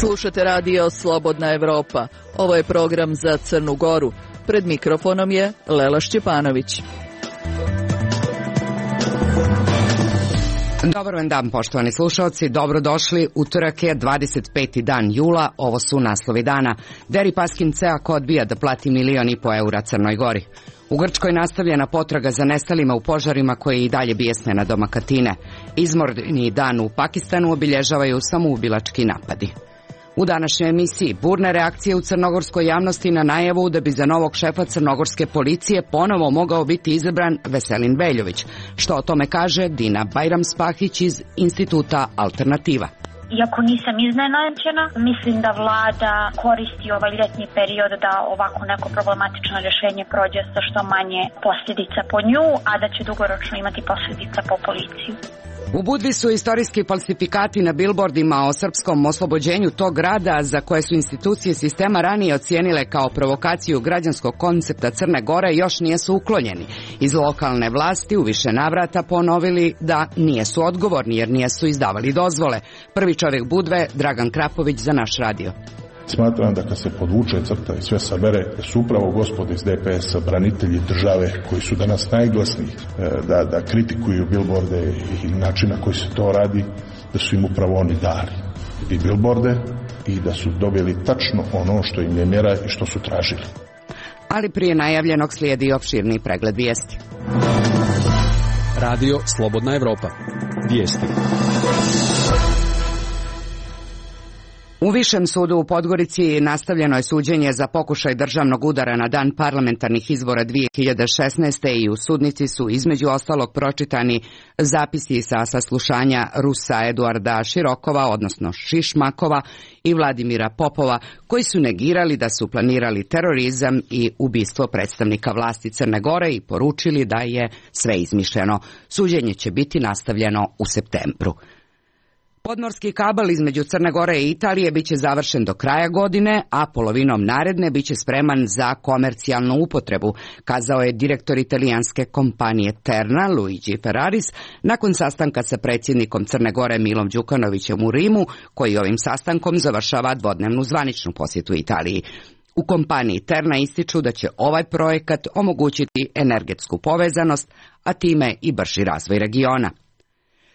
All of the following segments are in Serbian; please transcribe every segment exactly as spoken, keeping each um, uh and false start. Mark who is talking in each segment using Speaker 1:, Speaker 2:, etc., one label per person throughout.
Speaker 1: Slušate radio Slobodna Evropa. Ovo je program za Crnu Goru. Pred mikrofonom je Lela Šćepanović.
Speaker 2: Dobar vam dan, poštovani slušalci. Dobrodošli. Utorak je dvadeset peti dan jula. Ovo su naslovi dana. Deripaskin Ceako odbija da plati milion i po eura Crnoj Gori. U Grčkoj nastavljena potraga za nestalima u požarima koje i dalje bijesne na doma Katine. Izmorni dan u Pakistanu obilježavaju samoubilački napadi. U današnjoj emisiji burne reakcije u crnogorskoj javnosti na najavu da bi za novog šefa crnogorske policije ponovo mogao biti izabran Veselin Veljović. Što o tome kaže Dina Bajram-Spahić iz Instituta Alternativa.
Speaker 3: Iako nisam iznenađena, mislim da vlada koristi ovaj ljetni period da ovako neko problematično rješenje prođe sa što manje posljedica po nju, a da će dugoročno imati posljedica po policiju.
Speaker 2: U Budvi su istorijski falsifikati na bilbordima o srpskom oslobođenju tog grada, za koje su institucije sistema ranije ocijenile kao provokaciju građanskog koncepta Crne Gore, još nijesu uklonjeni. Iz lokalne vlasti u više navrata ponovili da nijesu odgovorni jer nijesu izdavali dozvole. Prvi čovjek Budve, Dragan Krapović, za naš radio.
Speaker 4: Smatram da kad se podvuče crta i sve sabere, da su upravo gospode iz D P S-a branitelji države koji su danas najglasniji da, da kritikuju bilborde i način na koji se to radi, da su im upravo oni dali i bilborde i da su dobili tačno ono što im je mjera i što su tražili.
Speaker 2: Ali prije najavljenog slijedi opširni pregled vijesti.
Speaker 5: Radio Slobodna Evropa. Vijesti.
Speaker 2: U Višem sudu u Podgorici nastavljeno je suđenje za pokušaj državnog udara na dan parlamentarnih izbora dvije hiljade šesnaeste. i u sudnici su između ostalog pročitani zapisi sa saslušanja Rusa Eduarda Širokova, odnosno Šišmakova, i Vladimira Popova, koji su negirali da su planirali terorizam i ubistvo predstavnika vlasti Crne Gore i poručili da je sve izmišljeno. Suđenje će biti nastavljeno u septembru. Podmorski kabel između Crne Gore i Italije biće završen do kraja godine, a polovinom naredne biće spreman za komercijalnu upotrebu, kazao je direktor italijanske kompanije Terna, Luigi Ferraris, nakon sastanka sa predsjednikom Crne Gore Milom Đukanovićem u Rimu, koji ovim sastankom završava dvodnevnu zvaničnu posjetu Italiji. U kompaniji Terna ističu da će ovaj projekat omogućiti energetsku povezanost, a time i brži razvoj regiona.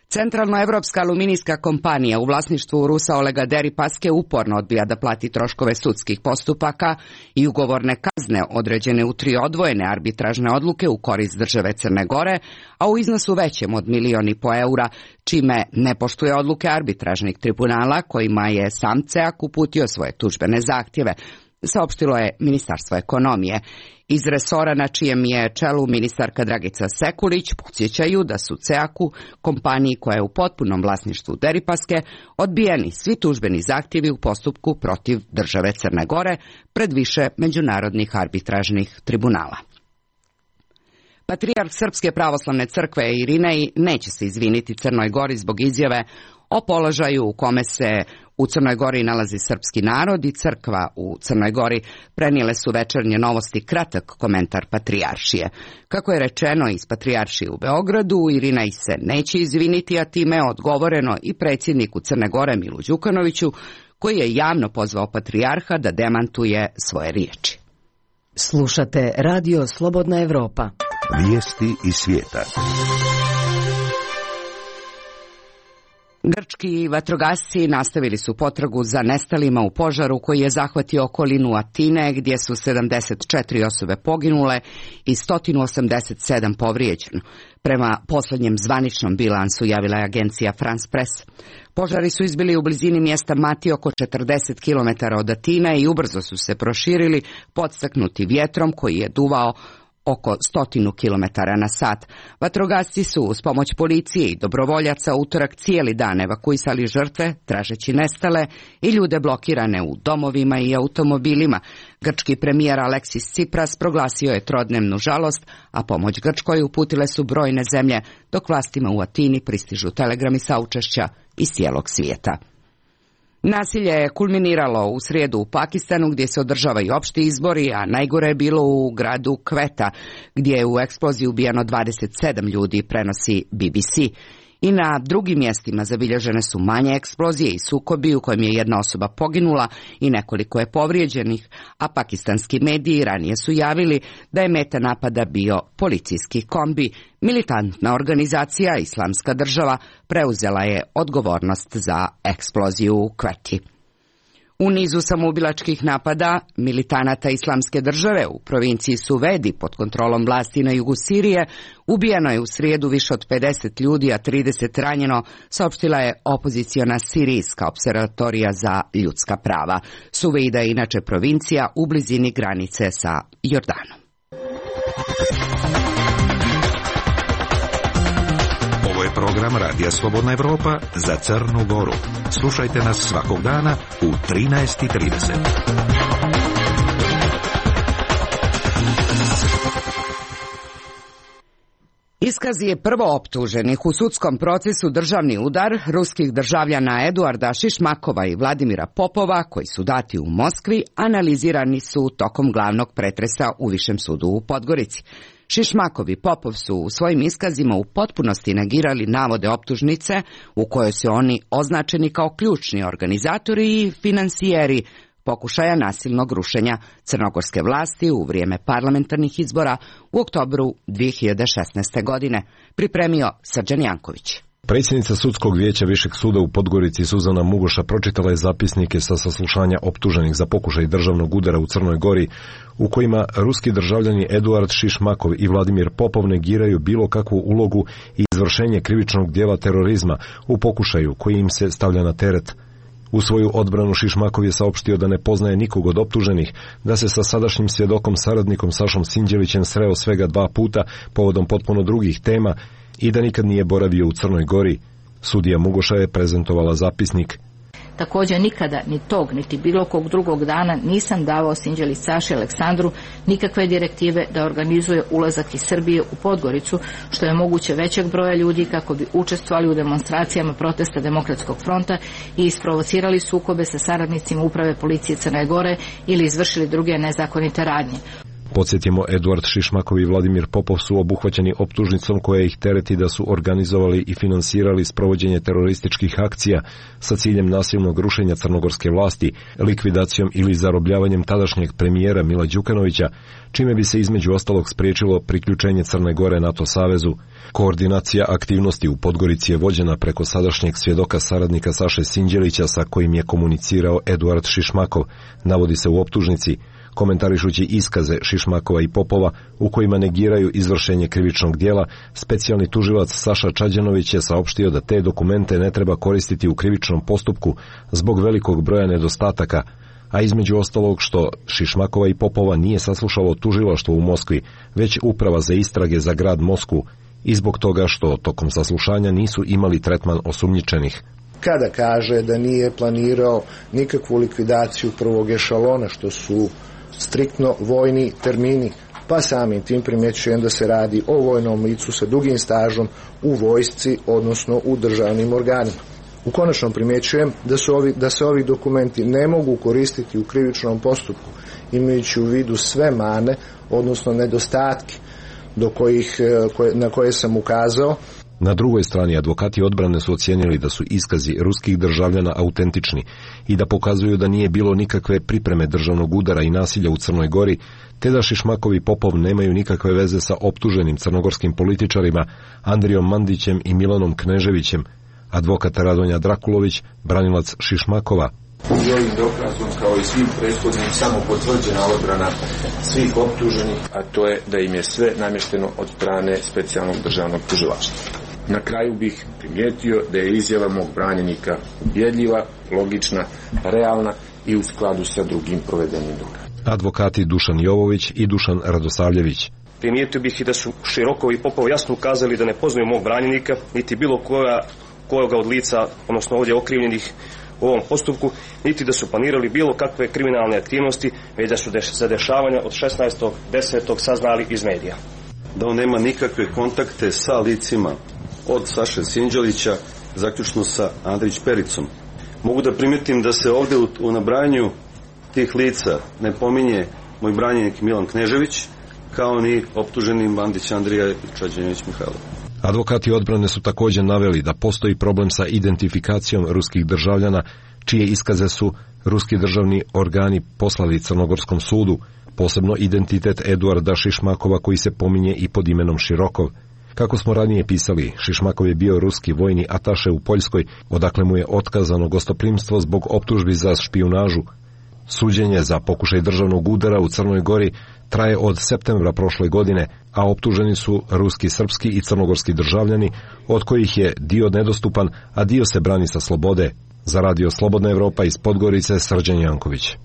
Speaker 2: Centralnoevropska aluminijska kompanija u vlasništvu Rusa Olega Deripaske uporno odbija da plati troškove sudskih postupaka i ugovorne kazne određene u tri odvojene arbitražne odluke u korist države Crne Gore, a u iznosu većem od milion i po eura, čime ne poštuje odluke arbitražnih tribunala kojima je sam Ceak uputio svoje tužbene zahtjeve, saopštilo je Ministarstvo ekonomije. Iz resora na čijem je čelu ministarka Dragica Sekulić podsjećaju da su Ceaku, kompaniji koja je u potpunom vlasništvu Deripaske, odbijeni svi tužbeni zahtjevi u postupku protiv države Crne Gore pred više međunarodnih arbitražnih tribunala. Patrijarh Srpske pravoslavne crkve Irinej neće se izviniti Crnoj Gori zbog izjave o položaju u kome se u Crnoj Gori nalazi srpski narod i crkva u Crnoj Gori, prenijele su Večernje novosti kratak komentar patrijaršije. Kako je rečeno iz patrijaršije u Beogradu, Irinej se neće izviniti, a time je odgovoreno i predsjedniku Crne Gore Milu Đukanoviću, koji je javno pozvao patrijarha da demantuje svoje riječi.
Speaker 6: Slušate Radio Slobodna Evropa.
Speaker 7: Vijesti iz svijeta.
Speaker 2: Grčki vatrogasci nastavili su potragu za nestalima u požaru koji je zahvatio okolinu Atine, gdje su sedamdeset četiri osobe poginule i sto osamdeset sedam povrijeđeno. Prema posljednjem zvaničnom bilansu, javila je agencija France Press. Požari su izbili u blizini mjesta Mati, oko četrdeset kilometara od Atine, i ubrzo su se proširili, podstaknuti vjetrom koji je duvao oko stotinu kilometara na sat. Vatrogasci su uz pomoć policije i dobrovoljaca utorak cijeli dan evakuisali žrtve, tražeći nestale i ljude blokirane u domovima i automobilima. Grčki premijer Aleksis Tsipras proglasio je trodnevnu žalost, a pomoć Grčkoj uputile su brojne zemlje, dok vlastima u Atini pristižu telegrami saučešća iz cijelog svijeta. Nasilje je kulminiralo u srijedu u Pakistanu gdje se održavaju opšti izbori, a najgore je bilo u gradu Kveta gdje je u eksploziji ubijeno dvadeset sedam ljudi, prenosi B B C. I na drugim mjestima zabilježene su manje eksplozije i sukobi u kojem je jedna osoba poginula i nekoliko je povrijeđenih, a pakistanski mediji ranije su javili da je meta napada bio policijski kombi. Militantna organizacija Islamska država preuzela je odgovornost za eksploziju u Kveti. U nizu samoubilačkih napada militanata Islamske države u provinciji Suvedi pod kontrolom vlasti na jugu Sirije ubijeno je u srijedu više od pedeset ljudi, a trideset ranjeno, saopštila je opoziciona Sirijska opservatorija za ljudska prava. Suvejda je inače provincija u blizini granice sa Jordanom.
Speaker 7: Ovo je program Radija Slobodna Evropa za Crnu Goru. Slušajte nas svakog dana u trinaest i trideset.
Speaker 2: Iskaz je prvo optuženih u sudskom procesu državni udar ruskih državljana Eduarda Šišmakova i Vladimira Popova, koji su dati u Moskvi, analizirani su tokom glavnog pretresa u Višem sudu u Podgorici. Šišmakov i Popov su u svojim iskazima u potpunosti negirali navode optužnice u kojoj su oni označeni kao ključni organizatori i finansijeri pokušaja nasilnog rušenja crnogorske vlasti u vrijeme parlamentarnih izbora u oktobru dvije hiljade šesnaeste. godine, pripremio Srđan Janković.
Speaker 8: Predsjednica Sudskog vijeća Višeg suda u Podgorici Suzana Mugoša pročitala je zapisnike sa saslušanja optuženih za pokušaj državnog udara u Crnoj Gori, u kojima ruski državljani Eduard Šišmakov i Vladimir Popov negiraju bilo kakvu ulogu i izvršenje krivičnog dijela terorizma u pokušaju koji im se stavlja na teret. U svoju odbranu Šišmakov je saopštio da ne poznaje nikog od optuženih, da se sa sadašnjim svjedokom saradnikom Sašom Sinđelićem sreo svega dva puta povodom potpuno drugih tema i da nikad nije boravio u Crnoj Gori. Sudija Mugoša je prezentovala zapisnik.
Speaker 9: Također nikada ni tog, niti bilo kog drugog dana nisam davao Sinđelić Saši Aleksandru nikakve direktive da organizuje ulazak iz Srbije u Podgoricu, što je moguće većeg broja ljudi kako bi učestvovali u demonstracijama protesta Demokratskog fronta i isprovocirali sukobe sa saradnicima uprave policije Crne Gore ili izvršili druge nezakonite radnje.
Speaker 8: Podsjetimo, Eduard Šišmakov i Vladimir Popov su obuhvaćeni optužnicom koja ih tereti da su organizovali i finansirali sprovođenje terorističkih akcija sa ciljem nasilnog rušenja crnogorske vlasti, likvidacijom ili zarobljavanjem tadašnjeg premijera Mila Đukanovića, čime bi se između ostalog spriječilo priključenje Crne Gore NATO savezu. Koordinacija aktivnosti u Podgorici je vođena preko sadašnjeg svjedoka saradnika Saše Sinđelića sa kojim je komunicirao Eduard Šišmakov, navodi se u optužnici, komentarišući iskaze Šišmakova i Popova u kojima negiraju izvršenje krivičnog dijela. Specijalni tužilac Saša Čađanović je saopštio da te dokumente ne treba koristiti u krivičnom postupku zbog velikog broja nedostataka, a između ostalog što Šišmakova i Popova nije saslušalo tužilaštvo u Moskvi, već uprava za istrage za grad Moskvu, i zbog toga što tokom saslušanja nisu imali tretman osumnjičenih.
Speaker 10: Kada kaže da nije planirao nikakvu likvidaciju prvog ešalona, što su striktno vojni termini, pa samim tim primjećujem da se radi o vojnom licu sa dugim stažom u vojsci, odnosno u državnim organima. U konačnom primjećujem da, su ovi, da se ovi dokumenti ne mogu koristiti u krivičnom postupku, imajući u vidu sve mane, odnosno nedostatke do kojih, na koje sam ukazao.
Speaker 8: Na drugoj strani advokati odbrane su ocijenili da su iskazi ruskih državljana autentični i da pokazuju da nije bilo nikakve pripreme državnog udara i nasilja u Crnoj Gori, te da Šišmakov i Popov nemaju nikakve veze sa optuženim crnogorskim političarima Andrijom Mandićem i Milanom Kneževićem. Advokat Radonja Drakulović, branilac Šišmakova.
Speaker 11: I ovim dokazom, kao i svim prethodnim, samo potvrđena odbrana svih optuženih, a to je da im je sve namješteno od strane specijalnog državnog tužilaštva. Na kraju bih primijetio da je izjava mog branjenika ubjedljiva, logična, realna i u skladu sa drugim provedenim dokazima.
Speaker 8: Advokati Dušan Jovović i Dušan Radosavljević.
Speaker 12: Primijetio bih i da su Širokov i Popov jasno ukazali da ne poznaju mog branjenika, niti bilo koja, koga od lica, odnosno ovdje okrivljenih u ovom postupku, niti da su planirali bilo kakve kriminalne aktivnosti, već da su za dešavanja od šesnaestog desetog saznali iz medija.
Speaker 13: Da on nema nikakve kontakte sa licima od Saše Sinđelića, zaključno sa Andrić Pericom, Mogu da primetim da se ovde u, u nabrajanju tih lica ne pominje moj branjenik Milan Knežević, kao ni optuženi Bandić Andrija i Čađenović Mihajlo.
Speaker 8: Advokati odbrane su također naveli da postoji problem sa identifikacijom ruskih državljana, čije iskaze su ruski državni organi poslali Crnogorskom sudu, posebno identitet Eduarda Šišmakova koji se pominje i pod imenom Širokov. Kako smo ranije pisali, Šišmakov je bio ruski vojni ataše u Poljskoj, odakle mu je otkazano gostoprimstvo zbog optužbi za špijunažu. Suđenje za pokušaj državnog udara u Crnoj Gori traje od septembra prošle godine, a optuženi su ruski, srpski i crnogorski državljani, od kojih je dio nedostupan, a dio se brani sa slobode. Za radio Slobodna Evropa iz Podgorice, Srđan Janković.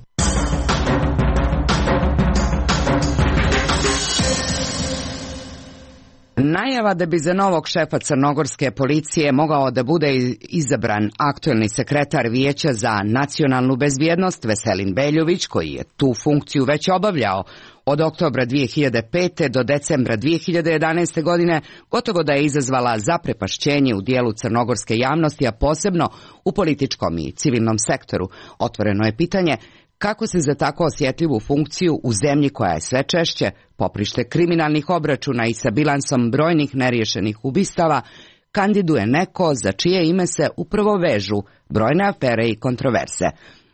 Speaker 2: Najava da bi za novog šefa crnogorske policije mogao da bude izabran aktuelni sekretar Vijeća za nacionalnu bezbjednost Veselin Veljović, koji je tu funkciju već obavljao od oktobra dvije hiljade pete do decembra dvije hiljade jedanaeste. godine, gotovo da je izazvala zaprepašćenje u dijelu crnogorske javnosti, a posebno u političkom i civilnom sektoru. Otvoreno je pitanje kako se za tako osjetljivu funkciju u zemlji koja je sve češće poprište kriminalnih obračuna i sa bilansom brojnih neriješenih ubistava kandiduje neko za čije ime se upravo vežu brojne afere i kontroverze.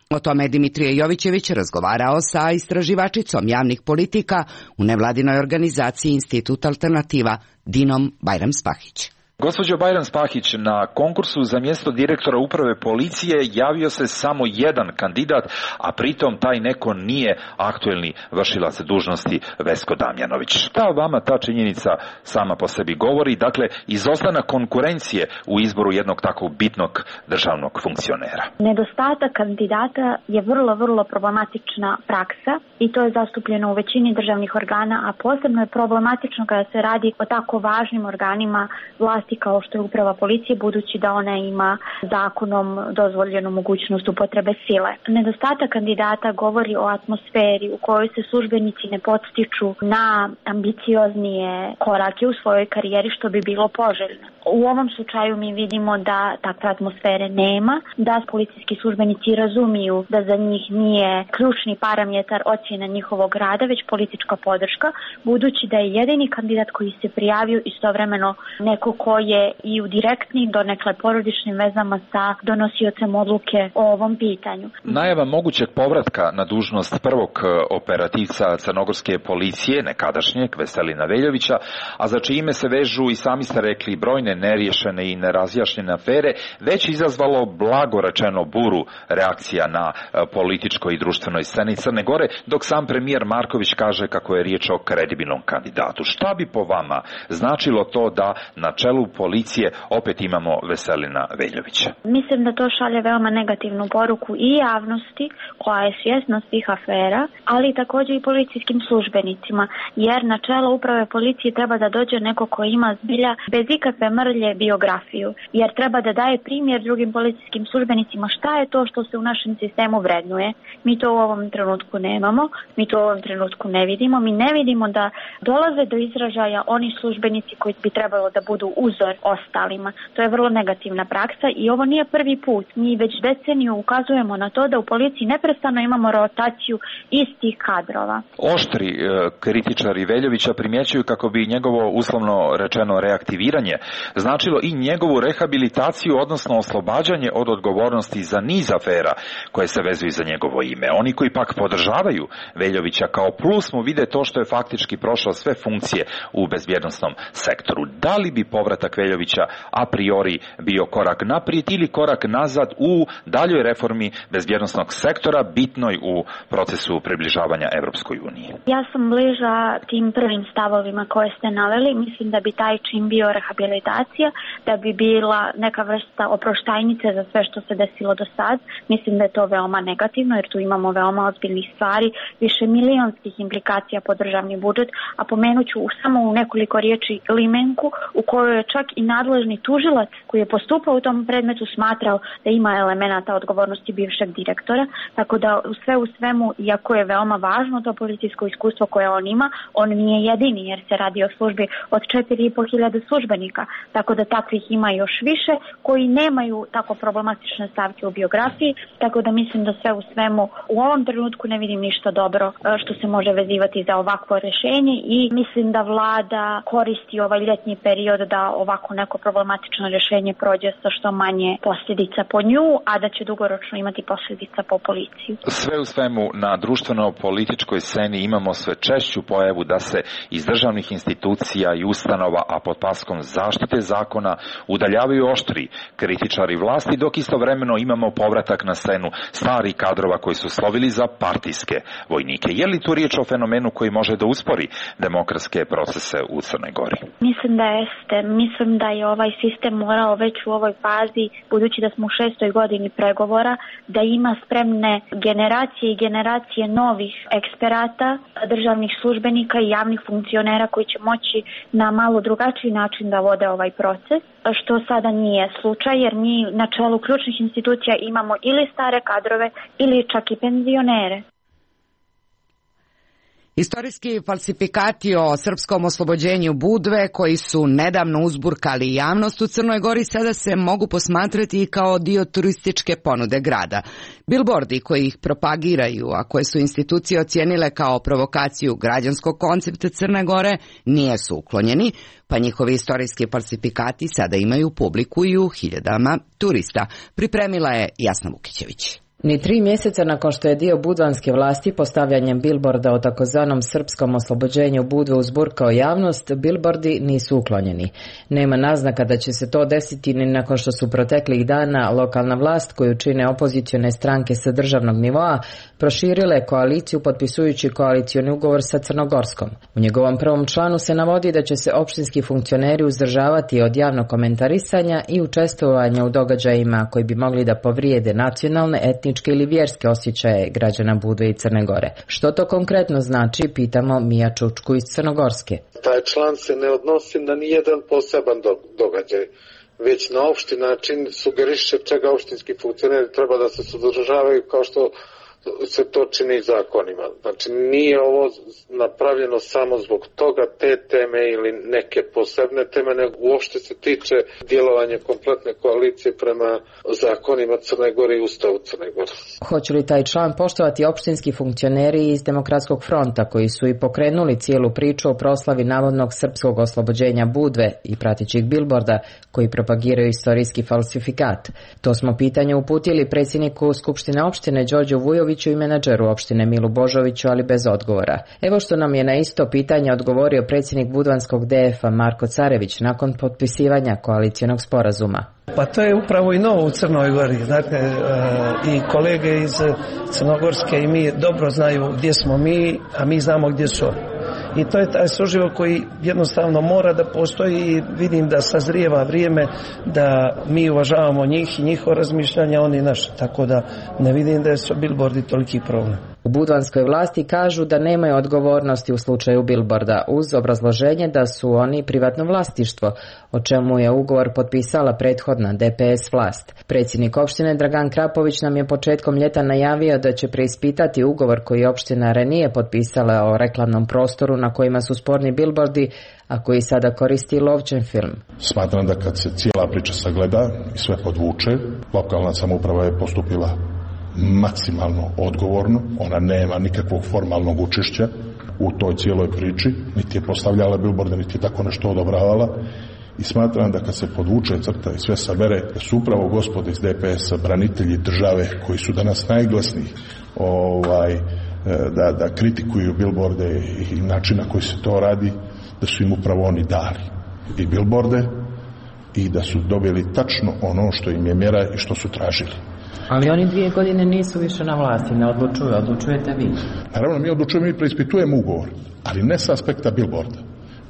Speaker 2: O tome je Dimitrije Jovićević razgovarao sa istraživačicom javnih politika u nevladinoj organizaciji Institut Alternativa Dinom Bajram-Spahić.
Speaker 14: Gospođo Bajram-Spahić, na konkursu za mjesto direktora uprave policije javio se samo jedan kandidat, a pritom taj neko nije aktuelni vršilac dužnosti Vesko Damjanović. Šta vama ta činjenica sama po sebi govori? Dakle, izostanak konkurencije u izboru jednog takvog bitnog državnog funkcionera.
Speaker 3: Nedostatak kandidata je vrlo, vrlo problematična praksa i to je zastupljeno u većini državnih organa, a posebno je problematično kada se radi o tako važnim organima vlasti kao što je uprava policije, budući da ona ima zakonom dozvoljenu mogućnost upotrebe sile. Nedostatak kandidata govori o atmosferi u kojoj se službenici ne podstiču na ambicioznije korake u svojoj karijeri, što bi bilo poželjno. U ovom slučaju mi vidimo da takve atmosfere nema, da policijski službenici razumiju da za njih nije ključni parametar ocjena njihovog rada, već politička podrška, budući da je jedini kandidat koji se prijavio istovremeno neko ko je i u direktnim, donekle porodičnim vezama sa donosiocem odluke o ovom pitanju.
Speaker 14: Najava mogućeg povratka na dužnost prvog operativca crnogorske policije, nekadašnjeg Veselina Veljovića, a za čime se vežu i sami ste rekli brojne neriješene i nerazjašnjene afere, već izazvalo blago rečeno buru reakcija na političkoj i društvenoj sceni Crne Gore, dok sam premijer Marković kaže kako je riječ o kredibilnom kandidatu. Šta bi po vama značilo to da na čelu policije opet imamo Veselina Veljovića?
Speaker 3: Mislim da to šalje veoma negativnu poruku i javnosti koja je svjesna svih afera, ali također i policijskim službenicima, jer na čelo uprave policije treba da dođe neko ko ima zbilja bez ikakve mrlje biografiju, jer treba da daje primjer drugim policijskim službenicima šta je to što se u našem sistemu vrednuje. Mi to u ovom trenutku nemamo, mi to u ovom trenutku ne vidimo, mi ne vidimo da dolaze do izražaja oni službenici koji bi trebalo da budu uzor ostalima. To je vrlo negativna praksa i ovo nije prvi put. Mi već deceniju ukazujemo na to da u policiji neprestano imamo rotaciju istih kadrova.
Speaker 14: Oštri e, kritičari Veljovića primjećuju kako bi njegovo uslovno rečeno reaktiviranje značilo i njegovu rehabilitaciju, odnosno oslobađanje od odgovornosti za niz afera koje se vezuju za njegovo ime. Oni koji pak podržavaju Veljovića kao plus mu vide to što je faktički prošao sve funkcije u bezbjednosnom sektoru. Da li bi povratak Veljovića a priori bio korak naprijed ili korak nazad u daljoj reformi bezbjednosnog sektora, bitnoj u procesu približavanja Evropskoj uniji?
Speaker 3: Ja sam bliža tim prvim stavovima koje ste naveli. Mislim da bi taj čin bio rehabilitacija, da bi bila neka vrsta oproštajnice za sve što se desilo do sad. Mislim da je to veoma negativno, jer tu imamo veoma ozbiljnih stvari, više milionskih implikacija po državni budžet, a pomenut ću samo u nekoliko riječi limenku u kojoj je čak i nadležni tužilac koji je postupao u tom predmetu smatrao da ima elemenata odgovornosti bivšeg direktora, tako da u sve u svemu, iako je veoma važno to policijsko iskustvo koje on ima, on nije jedini jer se radi o službi od četiri i po hiljade službenika. tako da takvih ima još više koji nemaju tako problematične stavke u biografiji, tako da mislim da sve u svemu u ovom trenutku ne vidim ništa dobro što se može vezivati za ovakvo rešenje i mislim da vlada koristi ovaj ljetni period da ovako neko problematično rešenje prođe sa što manje posljedica po nju, a da će dugoročno imati posljedica po policiju.
Speaker 14: Sve u svemu na društveno-političkoj sceni imamo sve češću pojavu da se iz državnih institucija i ustanova, a pod paskom zaštite zakona, udaljavaju oštri kritičari vlasti, dok istovremeno imamo povratak na scenu starih kadrova koji su slovili za partijske vojnike. Je li tu riječ o fenomenu koji može da uspori demokratske procese u Crnoj Gori?
Speaker 3: Mislim da jeste. Mislim da je ovaj sistem morao već u ovoj fazi, budući da smo u šestoj godini pregovora, da ima spremne generacije i generacije novih eksperata, državnih službenika i javnih funkcionera koji će moći na malo drugačiji način da vode ovaj proces, što sada nije slučaj, jer mi na čelu ključnih institucija imamo ili stare kadrove ili čak i penzionere.
Speaker 2: Istorijski falsifikati o srpskom oslobođenju Budve, koji su nedavno uzburkali javnost u Crnoj Gori, sada se mogu posmatrati i kao dio turističke ponude grada. Bilbordi koji ih propagiraju, a koje su institucije ocijenile kao provokaciju građanskog koncepta Crne Gore, nijesu uklonjeni, pa njihovi istorijski falsifikati sada imaju publiku i u hiljadama turista. Pripremila je Jasna Vukićević.
Speaker 6: Ni tri mjeseca nakon što je dio budvanske vlasti postavljanjem bilborda o takozvanom srpskom oslobođenju Budve uzburkao javnost, bilbordi nisu uklonjeni. Nema naznaka da će se to desiti ni nakon što su proteklih dana lokalna vlast, koju čine opozicione stranke sa državnog nivoa, proširile koaliciju potpisujući koalicioni ugovor sa Crnogorskom. U njegovom prvom članu se navodi da će se opštinski funkcioneri uzdržavati od javnog komentarisanja i učestvovanja u događajima koji bi mogli da povrijede nacionalne, etničke ili vjerske osjećaje građana Budve i Crne Gore. Što to konkretno znači, pitamo Mija Čučku iz Crnogorske.
Speaker 15: Taj član se ne odnosi na nijedan poseban događaj, već na opšti način sugeriše čega opštinski funkcioneri treba da se suzdržavaju kao što se to čini zakonima. Znači nije ovo napravljeno samo zbog toga te teme ili neke posebne teme, nego uopšte se tiče djelovanja kompletne koalicije prema zakonima Crne Gore i Ustavu Crne Gore.
Speaker 6: Hoće li taj član poštovati opštinski funkcioneri iz Demokratskog fronta, koji su i pokrenuli cijelu priču o proslavi navodnog srpskog oslobođenja Budve i pratećih bilborda koji propagiraju istorijski falsifikat? To smo pitanje uputili predsjedniku Skupštine opštine Đorđu Vujoviću i menadžeru opštine Milu Božoviću, ali bez odgovora. Evo što nam je na isto pitanje odgovorio predsjednik budvanskog D F-a Marko Carević nakon potpisivanja koalicijonog sporazuma.
Speaker 16: Pa to je upravo i novo u Crnoj Gori. Dakle, i kolege iz Crnogorske i mi dobro znaju gdje smo mi, a mi znamo gdje su oni. I to je taj suživot koji jednostavno mora da postoji i vidim da sazrijeva vrijeme da mi uvažavamo njih i njihovo razmišljanje, oni naše. Tako da ne vidim da su bilbordi toliki problem.
Speaker 6: U budvanskoj vlasti kažu da nemaju odgovornosti u slučaju bilborda, uz obrazloženje da su oni privatno vlasništvo, o čemu je ugovor potpisala prethodna D P S vlast. Predsjednik opštine Dragan Krapović nam je početkom ljeta najavio da će preispitati ugovor koji opština ranije potpisala o reklamnom prostoru na kojima su sporni bilbordi, a koji sada koristi Lovćen film.
Speaker 4: Smatram da kad se cijela priča sagleda i sve podvuče, lokalna samouprava je postupila maksimalno odgovorno, ona nema nikakvog formalnog učešća u toj cijeloj priči, niti je postavljala bilborde, niti je tako nešto odobravala, i smatram da kad se podvuče crta i sve sabere, da su upravo gospode iz D P S-a branitelji države koji su danas najglasniji ovaj, da, da kritikuju bilborde i način na koji se to radi, da su im upravo oni dali i bilborde i da su dobili tačno ono što im je mjera i što su tražili.
Speaker 6: Ali oni dvije godine nisu više na vlasti, ne odlučuju, odlučujete vi.
Speaker 4: Naravno, mi odlučujemo, mi preispitujemo ugovor, ali ne sa aspekta bilborda.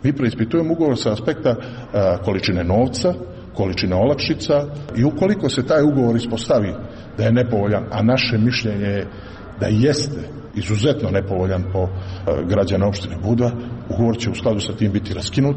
Speaker 4: Mi preispitujemo ugovor sa aspekta a, količine novca, količine olakšica, i ukoliko se taj ugovor ispostavi da je nepovoljan, a naše mišljenje je da jeste izuzetno nepovoljan po a, građana opštine Budva, ugovor će u skladu sa tim biti raskinut.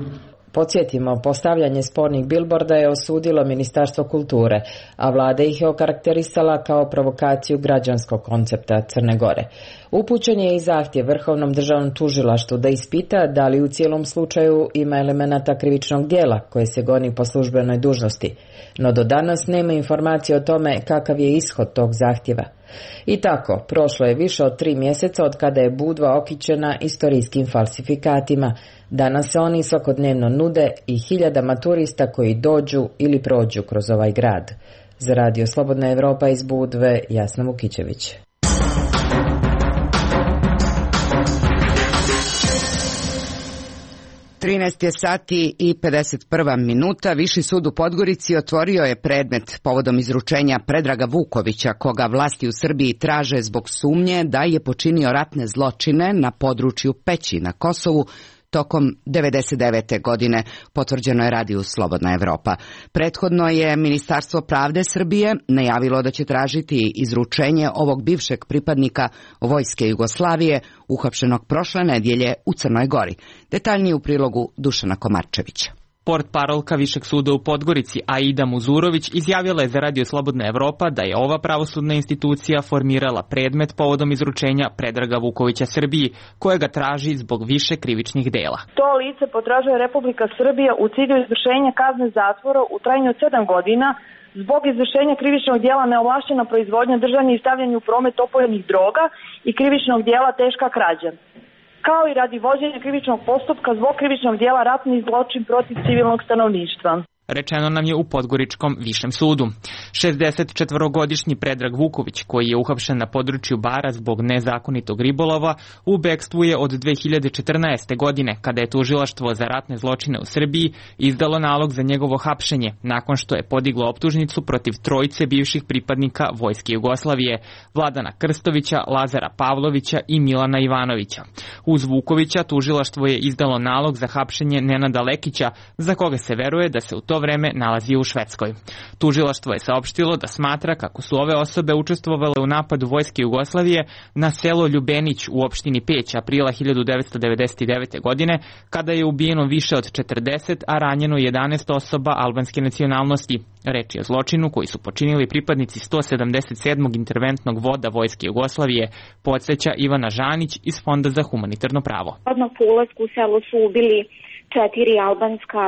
Speaker 6: Podsjetimo, postavljanje spornih bilborda je osudilo Ministarstvo kulture, a vlada ih je okarakterisala kao provokaciju građanskog koncepta Crne Gore. Upućen je i zahtjev Vrhovnom državnom tužilaštvu da ispita da li u cijelom slučaju ima elemenata krivičnog djela koje se goni po službenoj dužnosti, no do danas nema informacije o tome kakav je ishod tog zahtjeva. I tako, prošlo je više od tri mjeseca od kada je Budva okićena istorijskim falsifikatima. Danas se oni svakodnevno nude i hiljadama turista koji dođu ili prođu kroz ovaj grad. Za Radio Slobodna Evropa iz Budve, Jasna Vukićević.
Speaker 2: trinaest je sati i pedeset prva minuta. Viši sud u Podgorici otvorio je predmet povodom izručenja Predraga Vukovića, koga vlasti u Srbiji traže zbog sumnje da je počinio ratne zločine na području Peći na Kosovu tokom devedeset devete godine, potvrđeno je Radiju Slobodna Evropa. Prethodno je Ministarstvo pravde Srbije najavilo da će tražiti izručenje ovog bivšeg pripadnika Vojske Jugoslavije, uhapšenog prošle nedjelje u Crnoj Gori. Detaljnije u prilogu Dušana Komarčevića.
Speaker 17: Portparolka Višeg suda u Podgorici Aida Muzurović izjavila je za Radio Slobodna Evropa da je ova pravosudna institucija formirala predmet povodom izručenja Predraga Vukovića Srbiji, kojega traži zbog više krivičnih dela.
Speaker 18: To lice potražuje Republika Srbija u cilju izvršenja kazne zatvora u trajanju od sedam godina zbog izvršenja krivičnog djela neovlašćena proizvodnja, držanje i stavljanje u promet opojnih droga i krivičnog djela teška krađa, kao i radi vođenja krivičnog postupka zbog krivičnog djela ratni zločin protiv civilnog stanovništva.
Speaker 17: Rečeno nam je u Podgoričkom višem sudu. šezdesetčetvorogodišnji Predrag Vuković, koji je uhapšen na području Bara zbog nezakonitog ribolova, u bekstvu je od dve hiljade četrnaeste. godine, kada je tužilaštvo za ratne zločine u Srbiji izdalo nalog za njegovo hapšenje, nakon što je podiglo optužnicu protiv trojice bivših pripadnika Vojske Jugoslavije, Vladana Krstovića, Lazara Pavlovića i Milana Ivanovića. Uz Vukovića tužilaštvo je izdalo nalog za hapšenje Nenada Lekića, za koga se veruje da se u to vreme nalazi u Švedskoj. Tužilaštvo je saopštilo da smatra kako su ove osobe učestvovale u napadu Vojske Jugoslavije na selo Ljubenić u opštini Peć aprila hiljadu devetsto devedeset devete. godine, kada je ubijeno više od četrdeset, a ranjeno jedanaest osoba albanske nacionalnosti. Reč je o zločinu koji su počinili pripadnici sto sedamdeset sedmog interventnog voda Vojske Jugoslavije, podsjeća Ivana Žanić iz Fonda za humanitarno pravo.
Speaker 19: Odmah po ulasku u selo su ubili četiri albanska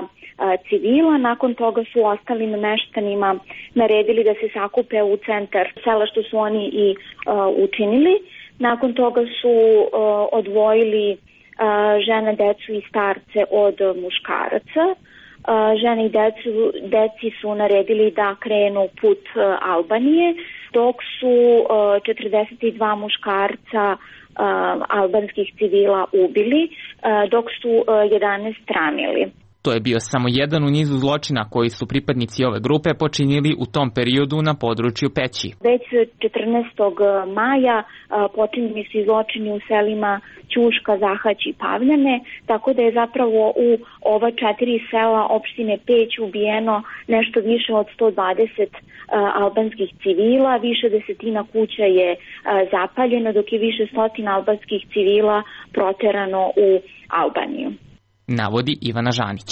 Speaker 19: civila, nakon toga su ostalim meštanima naredili da se sakupe u centar sela, što su oni i uh, učinili. Nakon toga su uh, odvojili uh, žene, decu i starce od muškaraca. Uh, žene i decu, deci su naredili da krenu put uh, Albanije, dok su uh, četrdeset dva muškarca uh, albanskih civila ubili, uh, dok su uh, jedanaest ranili.
Speaker 17: To je bio samo jedan u nizu zločina koji su pripadnici ove grupe počinili u tom periodu na području Peći.
Speaker 19: Već četrnaestog maja počinjeni su zločini u selima Ćuška, Zahać i Pavljane, tako da je zapravo u ova četiri sela opštine Peć ubijeno nešto više od sto dvadeset albanskih civila, više desetina kuća je zapaljeno, dok je više stotina albanskih civila proterano u Albaniju,
Speaker 17: navodi Ivana Žanić.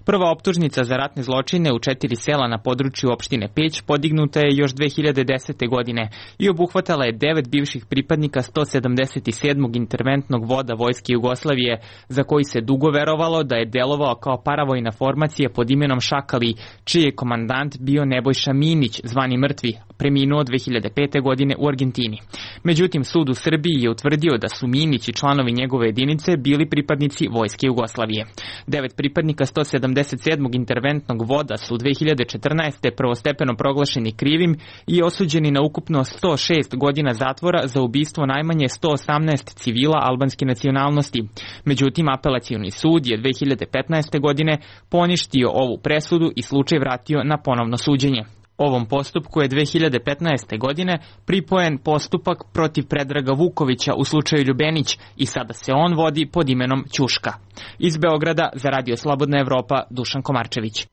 Speaker 17: Prva optužnica za ratne zločine u četiri sela na području opštine Peć podignuta je još dve hiljade desete. godine i obuhvatala je devet bivših pripadnika sto sedamdeset sedmog interventnog voda Vojske Jugoslavije, za koji se dugo verovalo da je delovao kao paravojna formacija pod imenom Šakali, čiji je komandant bio Nebojša Minić, zvani Mrtvi, preminuo dve hiljade pete. godine u Argentini. Međutim, sud u Srbiji je utvrdio da su Minić i članovi njegove jedinice bili pripadnici Vojske Jugoslavije. Devet pripadnika sto sedamdeset sedmog interventnog voda su dve hiljade četrnaeste. prvostepeno proglašeni krivim i osuđeni na ukupno sto šest godina zatvora za ubistvo najmanje sto osamnaest civila albanske nacionalnosti. Međutim, apelacioni sud je dve hiljade petnaeste. godine poništio ovu presudu i slučaj vratio na ponovno suđenje. Ovom postupku je dve hiljade petnaeste. godine pripojen postupak protiv Predraga Vukovića u slučaju Ljubenić i sada se on vodi pod imenom Ćuška. Iz Beograda za Radio Slobodna Evropa, Dušan Komarčević.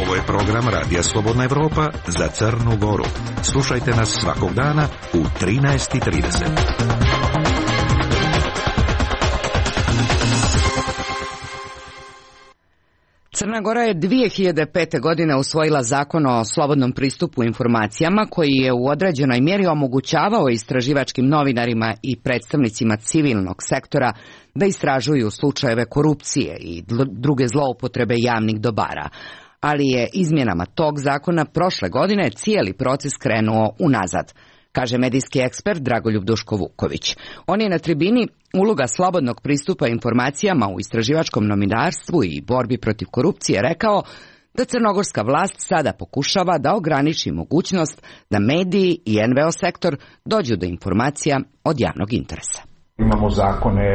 Speaker 7: Ovo je program Radija Slobodna Evropa za Crnu Goru. Slušajte nas svakog dana u trinaest i trideset.
Speaker 2: Crna Gora je dvije hiljade pete. godine usvojila zakon o slobodnom pristupu informacijama koji je u određenoj mjeri omogućavao istraživačkim novinarima i predstavnicima civilnog sektora da istražuju slučajeve korupcije i druge zloupotrebe javnih dobara. Ali je izmjenama tog zakona prošle godine cijeli proces krenuo unazad, kaže medijski ekspert Dragoljub Duško-Vuković. On je na tribini uloga slobodnog pristupa informacijama u istraživačkom novinarstvu i borbi protiv korupcije rekao da crnogorska vlast sada pokušava da ograniči mogućnost da mediji i en ve o sektor dođu do informacija od javnog interesa.
Speaker 20: Imamo zakone,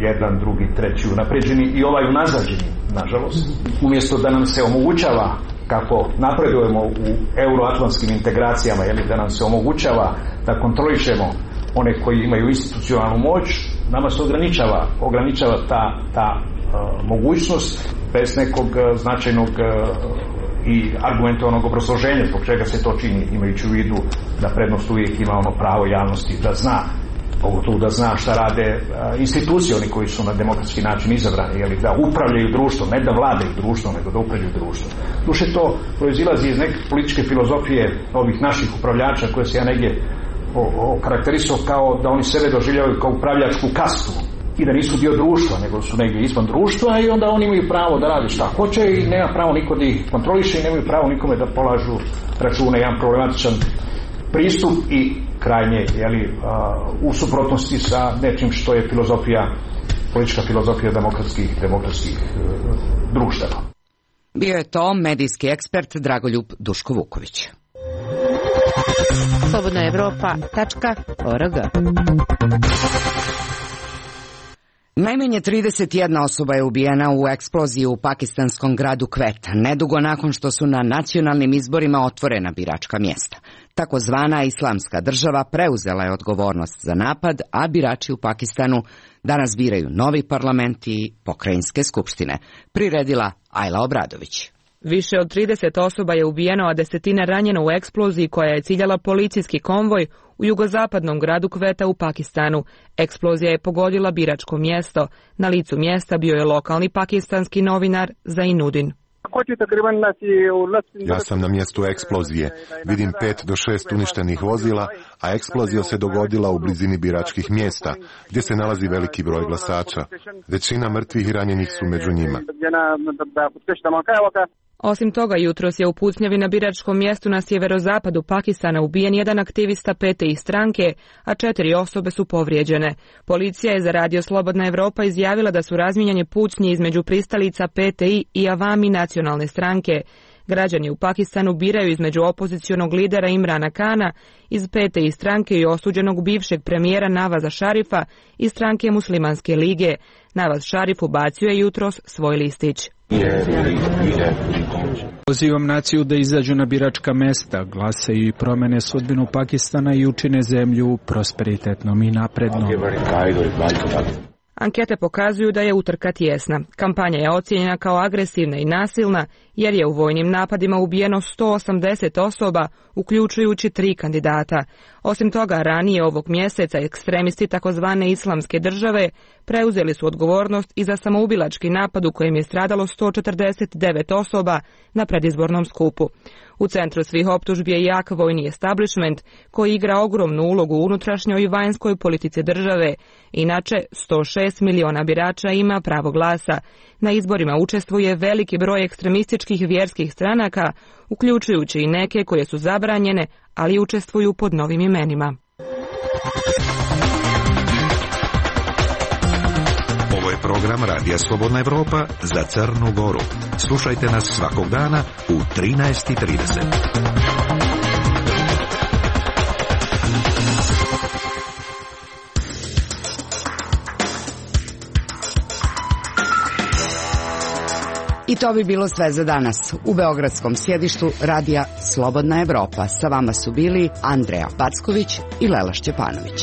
Speaker 20: jedan, drugi, treći unapređeni i ovaj unazađeni, nažalost. Umjesto da nam se omogućava, kako napredujemo u euroatlantskim integracijama, jeli, da nam se omogućava da kontrolišemo one koji imaju institucionalnu moć, nama se ograničava, ograničava ta, ta uh, mogućnost bez nekog uh, značajnog uh, i argumentovanog obrazloženja zbog čega se to čini, imajući u vidu da prednost uvijek ima ono pravo javnosti da zna, pogotovo da zna šta rade uh, institucije, oni koji su na demokratski način izabrani, jeli, da upravljaju društvom, ne da vladaju društvom, nego da upravljaju društvom. Duše to proizilazi iz neke političke filozofije ovih naših upravljača koje se ja negdje okarakterisao kao da oni sebe doživljavaju kao upravljačku kastu i da nisu dio društva, nego su negdje izvan društva i onda oni imaju pravo da rade šta hoće i nema pravo niko da ih kontroliše i nemaju pravo nikome da polažu račune. Jedan problematičan pristup i krajnje, jeli, u suprotnosti sa nečim što je filozofija, politička filozofija demokratskih, demokratskih društava.
Speaker 2: Bio je to medijski ekspert Dragoljub Duško-Vuković.
Speaker 21: slobodna evropa tačka org.
Speaker 2: Najmanje trideset jedna osoba je ubijena u eksploziji u pakistanskom gradu Quetta, nedugo nakon što su na nacionalnim izborima otvorena biračka mjesta. Takozvana islamska država preuzela je odgovornost za napad, a birači u Pakistanu danas biraju novi parlament i pokrajinske skupštine, priredila Ajla Obradović.
Speaker 22: Više od trideset osoba je ubijeno, a desetine ranjeno u eksploziji koja je ciljala policijski konvoj u jugozapadnom gradu Quetta u Pakistanu. Eksplozija je pogodila biračko mjesto. Na licu mjesta bio je lokalni pakistanski novinar Zainuddin.
Speaker 23: Ja sam na mjestu eksplozije. Vidim pet do šest uništenih vozila, a eksplozija se dogodila u blizini biračkih mjesta, gdje se nalazi veliki broj glasača. Većina mrtvih i ranjenih su među njima.
Speaker 22: Osim toga, jutros je u pucnjavi na biračkom mjestu na sjeverozapadu Pakistana ubijen jedan aktivista P T I stranke, a četiri osobe su povrijeđene. Policija je za radio Slobodna Evropa izjavila da su razmijenjeni pucnji između pristalica P T I i Avami nacionalne stranke. Građani u Pakistanu biraju između opozicionog lidera Imrana Kana iz P T I stranke i osuđenog bivšeg premijera Navaza Šarifa iz stranke Muslimanske lige. Navaz Šarif ubacio je jutros svoj listić.
Speaker 24: Pozivam naciju da izađu na biračka mesta, glasaju i promene sudbinu Pakistana i učine zemlju prosperitetnom i naprednom.
Speaker 22: Ankete pokazuju da je utrka tjesna. Kampanja je ocijenjena kao agresivna i nasilna jer je u vojnim napadima ubijeno sto osamdeset osoba, uključujući tri kandidata. Osim toga, ranije ovog mjeseca ekstremisti takozvane islamske države preuzeli su odgovornost i za samoubilački napad u kojem je stradalo sto četrdeset devet osoba na predizbornom skupu. U centru svih optužbi je jak vojni establishment koji igra ogromnu ulogu u unutrašnjoj i vanjskoj politici države. Inače, sto šest miliona birača ima pravo glasa. Na izborima učestvuje veliki broj ekstremističkih vjerskih stranaka, uključujući i neke koje su zabranjene, ali učestvuju pod novim imenima.
Speaker 7: Ovo je program Radija Slobodna Evropa za Crnu Goru. Slušajte nas svakog dana u trinaest i trideset.
Speaker 2: I to bi bilo sve za danas. U beogradskom sjedištu Radija Slobodna Evropa sa vama su bili Andreja Packović i Lela Šćepanović.